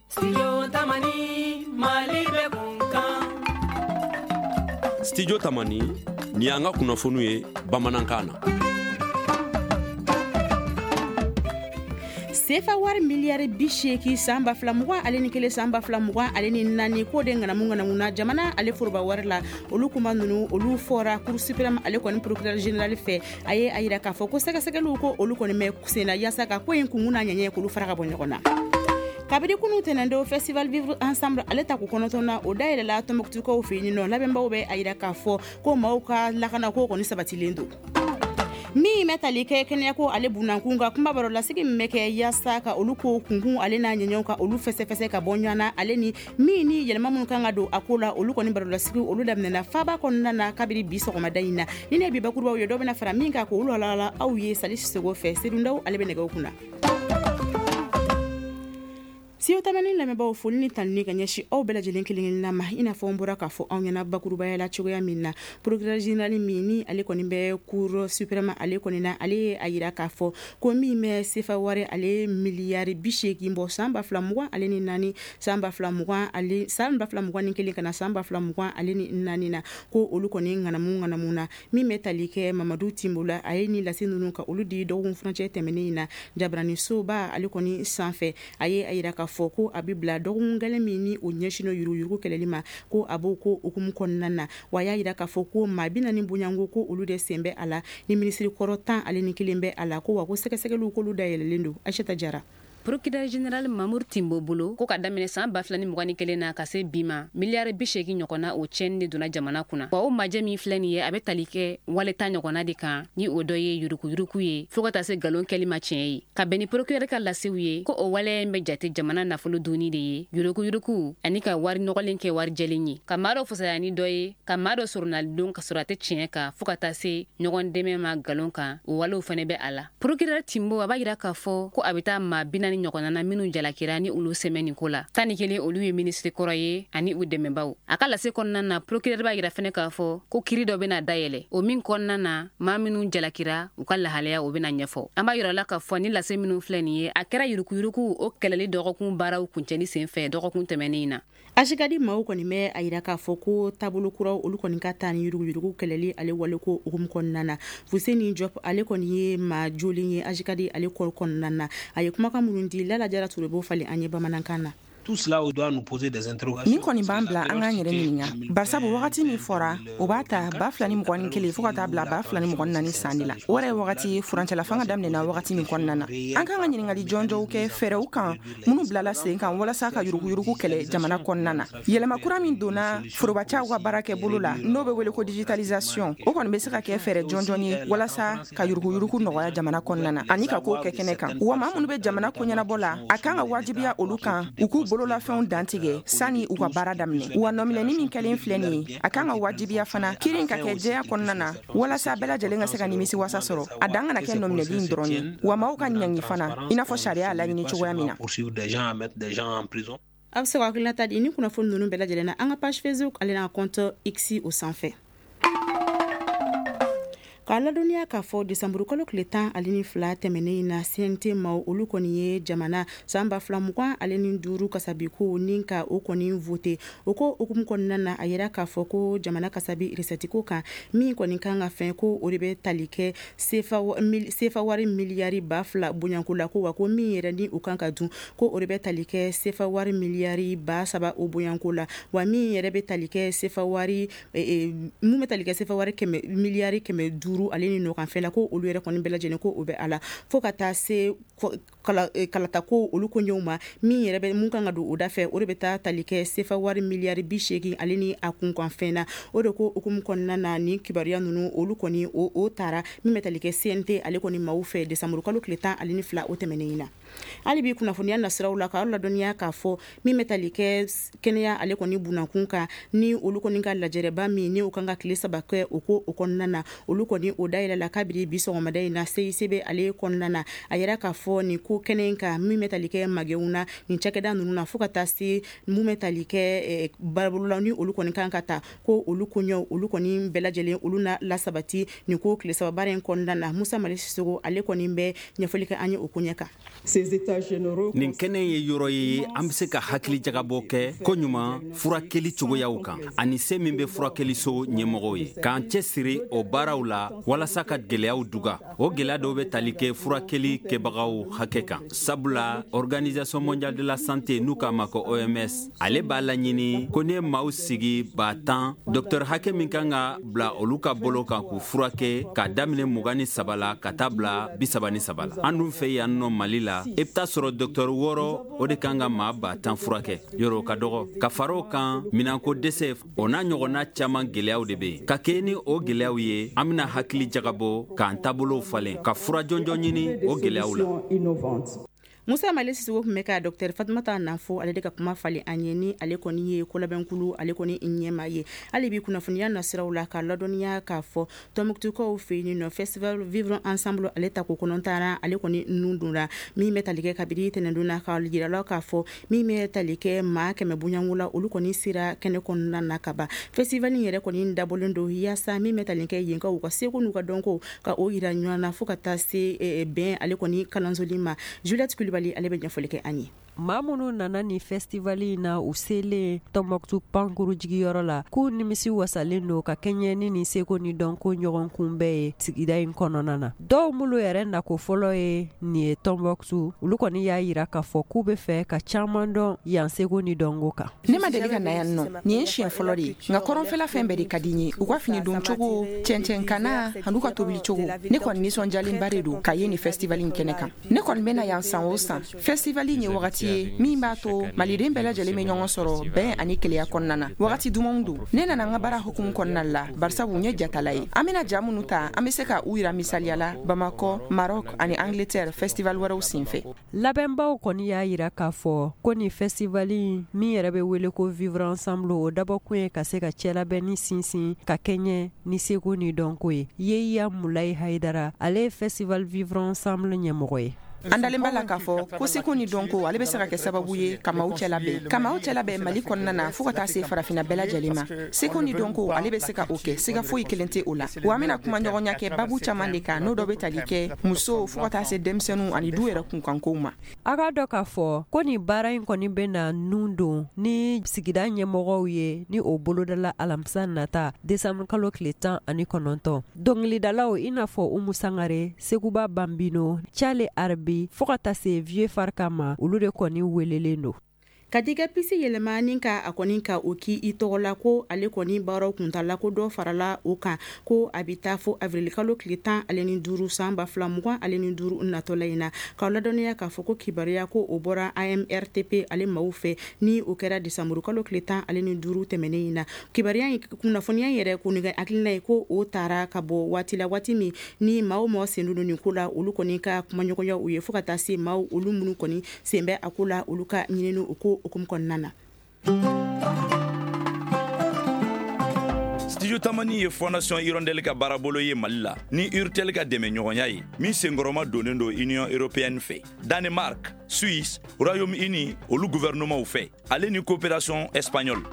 Studio Tamani, Mali bɛ kunkan. Studio Tamani, nin y'an ka kunnafoniw ye bamanankan na. Sefa wari miliyari 80 san 2021, san 2024, k'o de ŋanamu ŋanamu na jamana ale foroba wari la. Olu kuma ninnu, olu fɔra Cour suprême ale kɔni procureur général fɛ. A ye a yira k'a fɔ ko sɛgɛsɛgɛliw ko olu kɔni bɛ senna yaasa ka ko in kunkun n'a ɲɛɲɛ k'olu fara ka bɔ ɲɔgɔn na. Kabini kunu tɛnɛndon, festival Vivre Ensemble ale ta ko 9 na, o dayɛlɛla Tɔnbɔkutukaw fɛ yen nɔ. Labɛnbaw bɛ a yira k'a fɔ ko maaw ka lakana ko kɔni sabatilen don. Min bɛ tali kɛ kɛnɛyako ale bunankun ka kuma baro lasigi min bɛ kɛ yaasa ka olu ko kunkun ale n'a ɲɛɲɛw ka olu fɛsɛfɛsɛ ka bɔ ɲɔgɔn na, ale ni min ni yɛlɛma minnu kan ka don a ko la, olu kɔni baro lasigi olu daminɛna faba kɔnɔna na kabini bi sɔgɔmada in na. Ni ne bi bakurubaw ye, dɔ bɛna fara min kan k'olu walawala aw ye Sali Sisoko fɛ. Sedundaw ale bɛ nɛgɛw kunna. Studio Tamani lamɛnbaaw, foli ni tanuni ka ɲɛsin aw bɛɛ lajɛlen kelen kelenna ma. I n'a fɔ n bɔra k'a fɔ aw ɲɛna bakurubaya la cogoya min na, procureur général min ni ale kɔni bɛ Cour suprême ale kɔni na, ale ye a yira k'a fɔ ko min bɛ sefa wari ale miliyari 80 bɔ san 2024, san 2020 ale, san 2021 ka na san 2024 na, ko olu kɔni ŋanamu ŋanamu na. Min bɛ tali kɛ Mamadu Timbo la, a ye ni lase ninnu ka olu di dɔgɔkun furancɛ tɛmɛnen in na jabaranisoba ale kɔni sanfɛ. A ye a yira k'a fɔ ko a bɛ bila dɔgɔkun gɛlɛn min ni o ɲɛsinnen yuruguyurugu kɛlɛli ma, ko a b'o ko hukumu kɔnɔna na. Wa a y'a yira k'a fɔ ko maa 40 bonyanko ko olu de sen bɛ a la, ni minisiri kɔrɔ 11 bɛ a la, ko wa ko sɛgɛsɛgɛliw k'olu dayɛlɛlen don. Aïssata Jara. Procureur général Mamour Timbo bolo, ko ka daminɛ san 2021 na ka se bi ma, miliyari 80 ɲɔgɔnna o tiɲɛni de donna jamana kunna. Wa o majɛ min filɛ nin ye, a bɛ tali kɛ wale ta ɲɔgɔnna de kan, ni o dɔ ye yuruguyurugu ye, fo ka taa se nkalon kɛli ma tiɲɛ ye. Ka bɛn ni procureur ka lasew ye, ko o waleya in bɛ jate jamana nafolo dunni de ye, yuruguyurugu ani ka wari nɔgɔlen kɛ wari jɛlen ye, ka maa dɔ fisaya ni dɔ ye, ka maa dɔ soronalidon ka sɔrɔ a tɛ tiɲɛ kan, fo ka taa se ɲɔgɔn dɛmɛ ma nkalon kan, o walew fana bɛ a la. Procureur Timbo a b'a yira k'a fɔ ko a bɛ taa maa 40 ɲɔgɔnna na minnu jalakira ni olu sɛmɛ nin ko la. 11 olu ye minisiri kɔrɔ ye ani u dɛmɛbaw. A ka lase kɔnɔna na, procureur b'a yira fɛnɛ k'a fɔ ko kiri dɔ bɛna dayɛlɛ, o min kɔnɔna na maa minnu jalakira u ka lahalaya o bɛna ɲɛfɔ. An b'a yira la k'a fɔ ni lase minnu filɛ nin ye, a kɛra yuruguyurugu o kɛlɛli dɔgɔkun baaraw kuncɛli senfɛ dɔgɔkun tɛmɛnen in na. AJCAD maaw kɔni bɛ a yira k'a fɔ ko taabolo kuraw olu kɔni ka taa ni yuruguyurugu kɛlɛli ale wale ko hukumu kɔnɔna na. Fuseni Diop ale kɔni ye maa jolen ye AJCAD ale kɔrɔ kɔnɔna na. A ye kumakan minnu di, Lala Jara Ture b'o falen an ye bamanankan na. Tout cela doit nous poser des interrogations. Nin kɔni b'an bila an k'an yɛrɛ ɲininka, barisabu wagati min fɔra, o b'a ta 2021 fo ka taa bila 2024 san de la. O yɛrɛ ye wagati ye furancɛla fanga daminɛna wagati min kɔnɔna na. An kan ka ɲininkali jɔnjɔnw kɛ fɛɛrɛw kan minnu bilala sen kan walasa ka yuruguyurugu kɛlɛ jamana kɔnɔna na. Yɛlɛma kura min donna forobacaw ka baara kɛ bolo la, n'o bɛ wele ko digitalisation, o kɔni bɛ se ka kɛ fɛɛrɛ jɔnjɔn ye walasa ka yuruguyurugu nɔgɔya jamana kɔnɔna na ani ka kow kɛ kɛnɛ kan. Wa maa minnu bɛ jamana koɲɛnabɔ la, a kan ka wajibiya olu kan u k'u bololafɛnw dantigɛ sani u ka baara daminɛ. Wa nɔminɛni min kɛlen filɛ nin ye, a kan ka wajibiya fana kiiri ka kɛ jɛya kɔnɔna na walasa bɛɛ lajɛlen ka se ka nimisi wasa sɔrɔ. A dan kana kɛ nɔminɛli in dɔrɔn ye, wa maaw ka ɲangi fana i n'a fɔ sariya y'a laɲini cogoya min na. A bɛ se ka hakilinata di ni kunnafoni ninnu bɛɛ lajɛlen na an ka page Facebook ale n'a compte X o sanfɛ. K'a ladɔnniya k'a fɔ desanburu kalo tile 12 tɛmɛnen in na, CNT maaw olu kɔni ye jamana san 2025 kasabiko ni ka o kɔni vote. O ko hukumu kɔnɔna na, a yira k'a fɔ ko jamana kasabi recette ko kan min kɔni kan ka fɛn, ko o de bɛ tali kɛ sefa wari miliyari 2000 bonyanko la, ko wa ko min yɛrɛ ni o kan ka dun, ko o de bɛ tali kɛ sefa wari miliyari 3000 o bonyanko la, wa min yɛrɛ bɛ tali kɛ sefa wari, mun bɛ tali kɛ sefa wari kɛmɛ miliyari 500 ale ni nɔkanfɛ la, ko olu yɛrɛ kɔni bɛɛ lajɛlen ko o bɛ a la, fo ka taa se kalata ko olu koɲɛw ma, min yɛrɛ bɛ mun kan ka don o da fɛ, o de bɛ taa tali kɛ sefa wari miliyari 80 ale ni a kunkanfɛn na. O de ko hukumu kɔnɔna na, nin kibaruya ninnu olu kɔni o taara min bɛ tali kɛ CNT ale kɔni maaw fɛ desanburu kalo tile 12 o tɛmɛnen in na. Hali bi kunnafoniya nasiraw la, k'aw ladɔnniya k'a fɔ min bɛ tali kɛ kɛnɛya ale kɔni bunankun kan, ni olu kɔni ka lajɛrɛba min ni u kan ka tile 3 kɛ o ko o kɔnɔna na, olu kɔni o dayɛlɛla kabiri bi sɔgɔmada in na CICB ale kɔnɔna na. A yira k'a fɔ nin ko kɛnɛ in kan min bɛ tali kɛ magɛnw na nin cakɛda ninnu na, fo ka taa se mun bɛ tali kɛ baarabolola ni olu kɔni kan ka ta, ko olu koɲɛw olu kɔni bɛɛ lajɛlen olu na lasabati nin ko tile 3 baara in kɔnɔna na. Musa Mali Sisoko ale kɔni bɛ ɲɛfɔli kɛ an ye o koɲɛ kan. Nin kɛnɛ ye yɔrɔ ye an bɛ se ka hakili jagabɔ kɛ koɲuman furakɛli cogoyaw kan ani se min bɛ furakɛliso ɲɛmɔgɔw ye, k'an cɛsiri o baaraw la walasa ka gɛlɛyaw duga. O gɛlɛya dɔw bɛ tali kɛ furakɛli kɛbagaw hakɛ kan, sabula Organisation mondiale de la santé, n'u k'a ma ko OMS, ale b'a laɲini ko ne maaw sigi 10 000, docteur hakɛ min kan ka bila olu ka bolo kan k'u furakɛ, k'a daminɛ 23 la ka taa bila 33 la. An dun fɛ yan nɔ Mali la, i bɛ taa sɔrɔ docteur 6, o de kan ka maa 10 000 furakɛ. Yɔrɔ ka dɔgɔ. Ka fara o kan, minɛnko dɛsɛ, o n'a ɲɔgɔnna caman, gɛlɛyaw de bɛ yen. Ka kɛ ni o gɛlɛyaw ye, an bɛna hakili jagabɔ k'an taabolow falen, ka fura jɔnjɔn ɲini o gɛlɛyaw la. Musa Mali Sisoko tun bɛ ka docteur Fatumata Nafo, ale de ka kuma falen an ye, ni ale kɔni ye kolabɛnkulu ale kɔni ɲɛma ye. Hali bi kunnafoniya nasiraw la, ka ladɔnniya k'a fɔ Tɔnbukutukaw fɛ yen nɔ, festival Vivre Ensemble, ale ta ko kɔnɔntara, ale kɔni nun donna min bɛ tali kɛ kabini tɛnɛndon na, ka yirala k'a fɔ min bɛ tali kɛ maa 100 bonyanko la, olu kɔni sera kɛnɛ kɔnɔna na ka ban. Festival in yɛrɛ kɔni dabɔlen don yaasa min bɛ tali kɛ yenkaw u ka seko n'u ka dɔnko ka o yira ɲɔgɔn na, fo ka taa se bɛn ale kɔni kalansoli ma. Juliette Kulibali, ale bɛ ɲɛfɔli kɛ an ye. Maa minnu nana ni festival in na, u selen Tɔnbɔkutu pankuru jigiyɔrɔ la, k'u nimisi wasalen don ka kɛɲɛ ni nin seko ni dɔnko ɲɔgɔn kunbɛn ye sigida in kɔnɔna na. Dɔw minnu yɛrɛ nako fɔlɔ ye nin ye Tɔnbɔkutu, olu kɔni y'a yira k'a fɔ k'u bɛ fɛ ka caman dɔn yan seko ni dɔnko kan. Ne ma deli ka na yan nɔ, nin ye siɲɛ fɔlɔ de ye, nka kɔrɔnfɛla fɛn bɛɛ de ka di n ye, u ka fini don cogo, cɛncɛnkana an'u ka tobili cogo. Ne kɔni nisɔndiyalenba de don ka ye nin festival in kɛnɛ kan. Ne kɔni bɛ na yan san o san. Festival in ye wagati ye min b'a to maliden bɛɛ lajɛlen bɛ ɲɔgɔn sɔrɔ bɛn ani keleya kɔnɔna na. Wagati dumanw don. Ne nana n ka baara hukumu kɔnɔna la, barisabu n ye jatala ye. An bɛna ja minnu ta, an bɛ se ka u yira misaliya la Bamakɔ, Maroc ani Angleterre festival wɛrɛw senfɛ. Labɛnbaw kɔni y'a yira k'a fɔ ko nin festival in min yɛrɛ bɛ wele ko Vivre Ensemble, o dabɔkun ye ka se ka cɛlabɛnni sinsin ka kɛɲɛ ni seko ni dɔnko ye. Yeya Mulayi Hayidara, ale ye festival Vivre Ensemble ɲɛmɔgɔ ye. An dalen b'a la k'a fɔ ko seko ni dɔnko, ale bɛ se ka kɛ sababu ye ka maaw cɛ labɛn, ka maaw cɛ labɛn Mali kɔnɔna na fo ka taa se farafinna bɛɛ lajɛlen ma. Seko ni dɔnko, ale bɛ se ka o kɛ, siga foyi kelen tɛ o la. Wa an bɛna kuma ɲɔgɔnya kɛ babu caman de kan, n'o dɔ bɛ tali kɛ musow fo ka taa se denmisɛnninw ani du yɛrɛ kunkankow ma. A k'a dɔn k'a fɔ ko nin baara in kɔni bɛ na nun don ni sigida ɲɛmɔgɔw ye, ni o bolodala alamisa nata, desanburu kalo tile 19. Dɔnkilidalaw i n'a fɔ Umu Sangare, Seguba Banbino, Cale Arabi, fo ka taa se Vieux Farka ma, olu de kɔni welelen don. Ka di ka puce yɛlɛma ni ka a kɔni ka o k'i i tɔgɔ la, ko ale kɔni baaraw kuntala, ko dɔ farala o kan, ko a bɛ taa fo avril kalo tile 15 san 2025 natɔla in na. K'aw ladɔnniya k'a fɔ ko kibaruya ko o bɔra AMRTP ale maaw fɛ, ni o kɛra desanburu kalo tile 15 tɛmɛnen in na. Kibaruya in, kunnafoniya yɛrɛ ko ni hakilina ye ko o taara ka bɔ waati la, waati min ni maa o maa sen don nin ko la, olu kɔni ka kumaɲɔgɔnya u ye, fo ka taa se maaw olu minnu kɔni sen bɛ a ko la, olu ka ɲinini o ko hukumu kɔnɔna na. Studio Tamani ye Fondation Hirondelle ka baarabolo ye Mali la ni Urtel ka dɛmɛ ɲɔgɔnya ye, min senkɔrɔma donnen don Union européenne fɛ, Danemark, Suisse, Royaume-Uni olu gouvernement fɛ, ale ni coopération espagnole.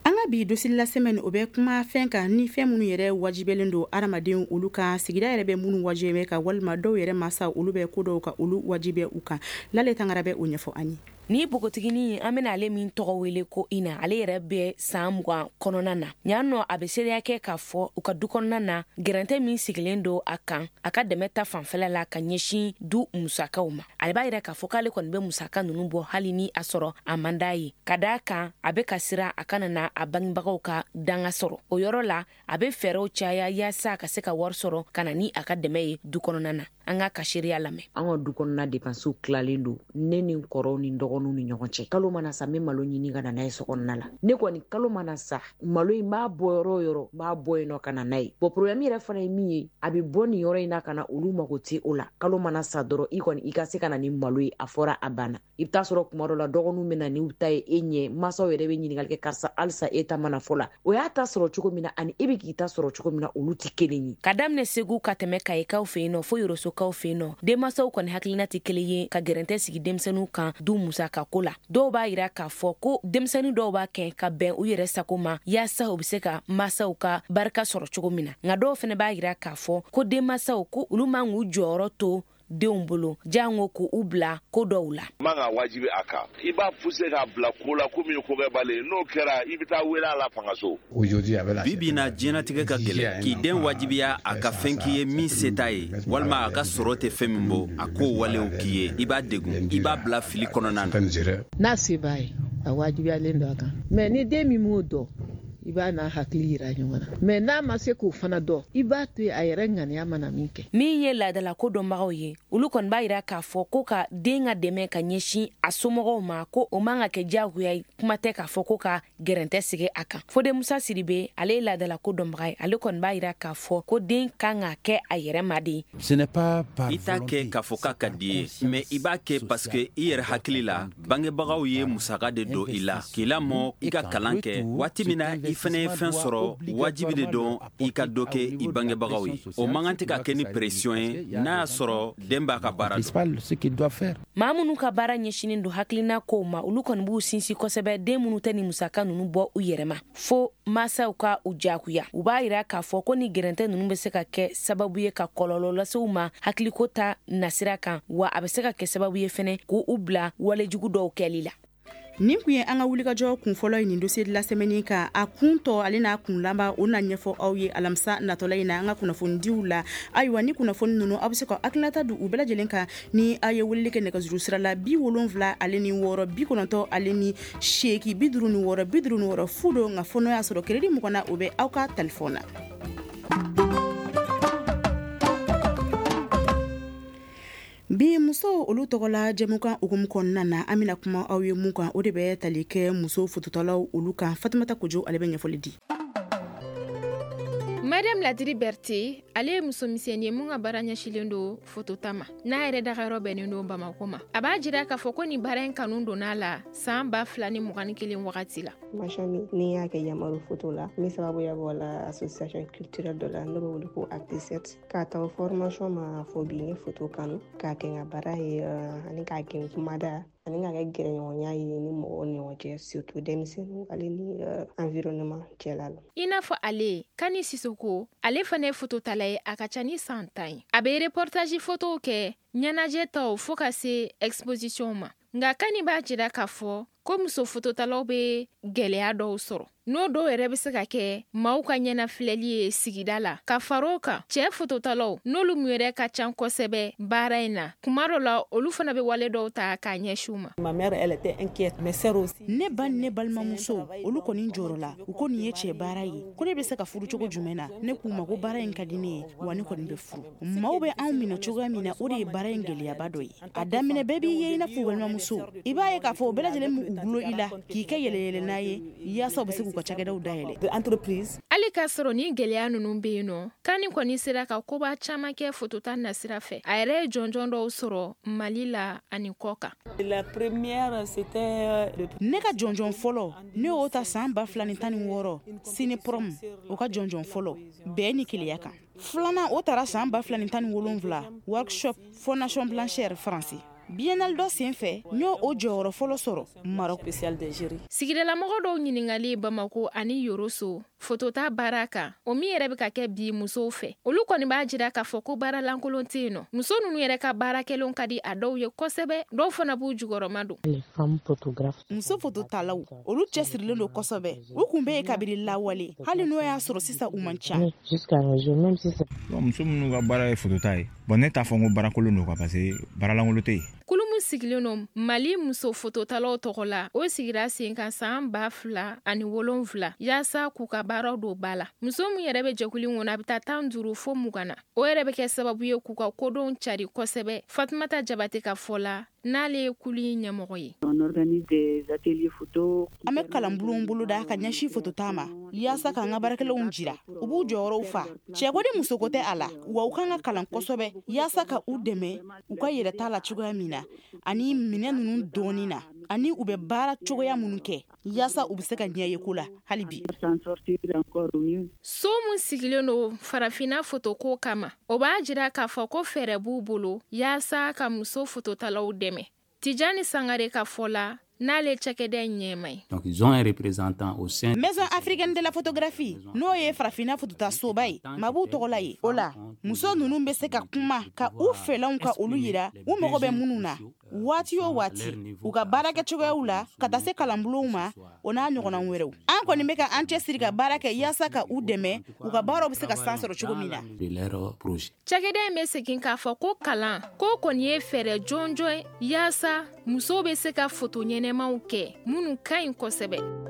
An ka bi dossier la semaine, o bɛ kuma fɛn kan ni fɛn minnu yɛrɛ wajibɛlen don hadamaden olu kan, sigida yɛrɛ bɛ minnu wajibɛ ka, walima dɔw yɛrɛ masa olu bɛ ko dɔw ka olu wajibɛ u kan. Lale Tangara bɛ o ɲɛfɔ an ye. Ni npogotiginin, an bena ale min tɔgɔ wele ko Ina, ale yɛrɛ bɛ saan 20 kɔnɔna na ɲan nɔ. A be seereya kɛ k'a fɔ u ka du kɔnɔna na, gɛrɛntɛ min sigilen don a kan a ka dɛmɛ ta fanfɛla la ka ɲɛsin du musakaw ma, ale b'a yira k'a fɔ k'ale kɔni bɛ musaka nunu bɔ hali ni a sɔrɔ a man d'a ye, ka daa kan a be ka siran a kana na a bangebagaw ka danga sɔrɔ. O yɔrɔ la, a be fɛɛrɛw caya yaasa ka se ka wari sɔrɔ ka na ni a ka dɛmɛ ye du kɔnɔna na. An ka seereya lamɛn. An ka du kɔnɔna dépensew tilalen don ne ni n kɔrɔw ni dɔgɔninw ni ɲɔgɔn cɛ. Kalo mana sa, n bɛ malo ɲini ka na n'a ye so kɔnɔna la. Ne kɔni, kalo mana sa, malo in b'a bɔ yɔrɔ o yɔrɔ, n b'a bɔ yen nɔ ka na n'a ye. Bon, problème yɛrɛ fana ye min ye, a bɛ bɔ nin yɔrɔ in na ka na, olu mago tɛ o la. Kalo mana sa dɔrɔn, i kɔni i ka se ka na ni malo ye, a fɔra, a banna. I bɛ taa sɔrɔ kuma dɔ la, dɔgɔninw bɛ na n'u ta ye e ɲɛ. Masaw yɛrɛ bɛ ɲininkali kɛ: karisa, halisa e ta mana fɔ la? O y'a ta sɔrɔ cogo min na ani e bɛ k'i ta sɔrɔ cogo min na, olu tɛ kelen ye. Ka daminɛ Segu ka tɛmɛ Kayikaw fɛ yen nɔ fo Yorosokaw fɛ yen nɔ, denmansaw kɔni hakilina tɛ kelen ye ka gɛrɛntɛ sigi denmisɛnninw kan du musaka. musakako la. Dɔw b'a yira k'a fɔ ko denmisɛnnin dɔw b'a kɛ ka bɛn u yɛrɛ sago ma, yaasa u bɛ se ka masaw ka barika sɔrɔ cogo min na. Nka dɔw fana b'a yira k'a fɔ ko denmasaw ko olu man k'u jɔyɔrɔ to denw bolo, jango k'u bila ko dɔw la. Man ka wajibi a kan, i b'a pousser k'a bila ko la ko min ye kokɛbali ye. N'o kɛra, i bɛ taa wele a la fangaso. Bi bi na, diɲɛnatigɛ ka gɛlɛn. K'i den wajibiya a ka fɛn k'i ye min se t'a ye, walima a ka sɔrɔ tɛ fɛn min bɔ, a k'o walew k'i ye, i b'a degun, i b'a bila fili kɔnɔna na. N'a se b'a ye, a wajibiyalen don a kan. Mais ni den min m'o dɔn, i b'a n'a hakili yira ɲɔgɔn na. Mais n'a ma se k'o fana dɔn, i b'a to yen, a yɛrɛ ŋaniya mana min kɛ. Min ye laadalako dɔnbagaw ye, olu kɔni b'a yira k'a fɔ ko ka den ka dɛmɛ ka ɲɛsin a somɔgɔw ma, ko o man ka kɛ diyagoya ye. Kuma tɛ k'a fɔ ko ka gɛrɛntɛ sigi a kan. Fode Musa Sidibe, ale ye laadalako dɔnbaga ye, ale kɔni b'a yira k'a fɔ ko den kan ka kɛ a yɛrɛ ma de. I t'a kɛ k'a fɔ k'a ka di ye, mais i b'a kɛ parce que i yɛrɛ hakili la, bangebagaw ye musaka de don i la k'i lamɔ, i ka kalan kɛ. Waati min na i fana ye fɛn sɔrɔ, wajibi de don i ka dɔ kɛ i bangebagaw ye. O man kan tɛ ka kɛ ni pression ye, n'a y'a sɔrɔ den b'a ka baara dɔn. Maa minnu ka baara ɲɛsinnen don hakilina kow ma, olu kɔni b'u sinsin kosɛbɛ den minnu tɛ ni musaka ninnu bɔ u yɛrɛ ma, fo masaw ka u jagoya. U b'a yira k'a fɔ ko ni gɛrɛntɛ ninnu bɛ se ka kɛ sababu ye ka kɔlɔlɔ lase u ma hakiliko ta nasira kan, wa a bɛ se ka kɛ sababu ye fɛnɛ k'u bila walejugu dɔw kɛli la. Nin kun ye an ka wulikajɔ kun fɔlɔ ye nin dossier de la semaine kan. A kun tɔ ale n'a kun laban, o na ɲɛfɔ aw ye alamisa natɔla in na an ka kunnafonidiw la. Ayiwa, ni kunnafoni ninnu, aw bɛ se ka hakilinata di u bɛɛ lajɛlen kan ni aw ye weleli kɛ nɛgɛjuru sira la 76 98 56 56 0 don. Nka fo n'o y'a sɔrɔ crédit 20 na, o bɛ aw ka téléphone na. Bi musow olu tɔgɔla jɛmukan hukumu kɔnɔna na, an bɛna kuma aw ye mun kan, o de bɛ tali kɛ muso fototalaw olu kan. Fatumata Kojo, ale bɛ ɲɛfɔli di. Mariam Ladiri Berté, ale ye musomisɛnnin ye mun ka baara ɲɛsilen don fotota ma. N'a yɛrɛ dagayɔrɔ bɛnnen don Bamako ma. A b'a jira k'a fɔ ko nin baara in kanu donna la san 2021 wagati la. Formation min ni y'a kɛ Yamaru foto la, min sababuya bɔ la association culturelle dɔ la n'o bɛ wele ko Acte 7. K'a ta o formation ma fo bi, n ye foto kanu k'a kɛ n ka baara ye, ani k'a kɛ n kumada, ani k'a kɛ gɛrɛɲɔgɔnya ye ni mɔgɔw ni ɲɔgɔn cɛ, surtout denmisɛnninw ale ni environnement cɛla la. I n'a fɔ ale, Kani Sisoko, ale fana ye fototala ye, a ka ca ni san 10 ye. A bɛ reportage fotow kɛ, ɲɛnajɛ taw, fo ka se exposition ma. Nka Kani b'a jira k'a fɔ ko muso fototalaw bɛ gɛlɛya dɔw sɔrɔ, n'o dɔw yɛrɛ bɛ se ka kɛ maaw ka ɲɛnafilɛli ye sigida la. Ka fara o kan, cɛɛ fototalaw, n'olu mun yɛrɛ ka ca kosɛbɛ baara in na, kuma dɔ la olu fana bɛ wale dɔw ta k'a ɲɛsin u ma. Ne ba ni ne balimamuso, olu kɔni jɔrɔ la. U ko nin ye cɛ baara ye, ko ne bɛ se ka furu cogo jumɛn na? Ne k'u ma ko baara in ka di ne ye, wa ne kɔni bɛ furu. Maaw bɛ anw minɛ cogoya min na, o de ye baara in gɛlɛyaba dɔ ye. A daminɛ, bɛɛ b'i ye i n'a fɔ balimamuso. I b'a ye k'a fɔ o bɛɛ lajɛlen b'u gulo i la k'i kɛ yɛlɛyɛlɛ ye, yaasa u bɛ se k'u ka cakɛdaw dayɛlɛ. Hali k'a sɔrɔ ni gɛlɛya ninnu bɛ yen nɔ, Kani kɔni sera ka koba caman kɛ fotota nasira fɛ. A yɛrɛ ye jɔnjɔn dɔw sɔrɔ Mali la ani kɔ kan. Ne ka jɔnjɔn fɔlɔ, ne y'o ta san 2016, Cinéprom o ka jɔnjɔn fɔlɔ bɛn ni keleya kan. Filanan, o taara san 2017, workshop Fondation Blanchère Faransi biennale dɔ sen fɛ, n y'o o jɔyɔrɔ fɔlɔ sɔrɔ Maroc. Sigidalamɔgɔ dɔw ɲininkali Bamako ani Yoroso fotota baara kan, o min yɛrɛ bɛ ka kɛ bi musow fɛ, olu kɔni b'a jira k'a fɔ ko baara lankolon tɛ yen nɔ. Muso ninnu yɛrɛ ka baara kɛlenw ka di a dɔw ye kosɛbɛ, dɔw fana b'u jukɔrɔma don. Muso fototalaw, olu cɛsirilen don kosɛbɛ. U kun bɛ yen kabiri lawale, hali n'o y'a sɔrɔ sisan u man ca. Muso minnu ka baara ye fotota ye, bon, ne t'a fɔ n ko baarakolon don quoi, parce que baaralankolon tɛ yen. Kulu min sigilen don Mali muso fototalaw tɔgɔ la, o sigira sen kan san 2007, yaasa k'u ka baaraw don ba la. Muso min yɛrɛ bɛ jɛkulu kɔnɔ, a bɛ taa 15 fo 20 na. O yɛrɛ bɛ kɛ sababu ye k'u ka kodɔn cari kosɛbɛ. Fatumata Jabate ka fɔ la, n'ale ye kulu in ɲɛmɔgɔ ye. An bɛ kalanbulon boloda ka ɲɛsin fotota ma, yaasa k'an ka baarakɛlaw jira u b'u jɔyɔrɔw fa. Cɛko ni musoko tɛ a la wa, u kan ka kalan kosɛbɛ yaasa ka u dɛmɛ u ka yɛrɛta la cogoya min na, ani minɛ ninnu dɔɔni na, ani u bɛ baara cogoya minnu kɛ, yaasa u bɛ se ka ɲɛ ye ko la hali bi. So min sigilen don farafinna fotoko kama, o b'a jira k'a fɔ ko fɛɛrɛ b'u bolo yaasa ka muso fototalaw dɛmɛ. Tijani Sangare ka fɔ la, n'ale cakɛda in ɲɛma ye. Donc ils ont un représentant au sein Maison africaine de la photographie, n'o ye farafinna fototasoba ye, ma b'u tɔgɔ la ye. O la, muso ninnu bɛ se ka kuma ka u fɛlanw ka olu yira u mago bɛ minnu na waati o waati, u ka baarakɛcogoyaw la, ka taa se kalanbulonw ma, o n'a ɲɔgɔnna wɛrɛw. An kɔni bɛ ka an cɛsiri ka baara kɛ yaasa ka u dɛmɛ, u ka baaraw bɛ se ka san sɔrɔ cogo min na. de leur projet. Cakɛda in bɛ segin k'a fɔ ko kalan ko kɔni ye fɛɛrɛ jɔnjɔn ye yaasa musow bɛ se ka foto ɲɛnɛmaw kɛ minnu ka ɲi kosɛbɛ.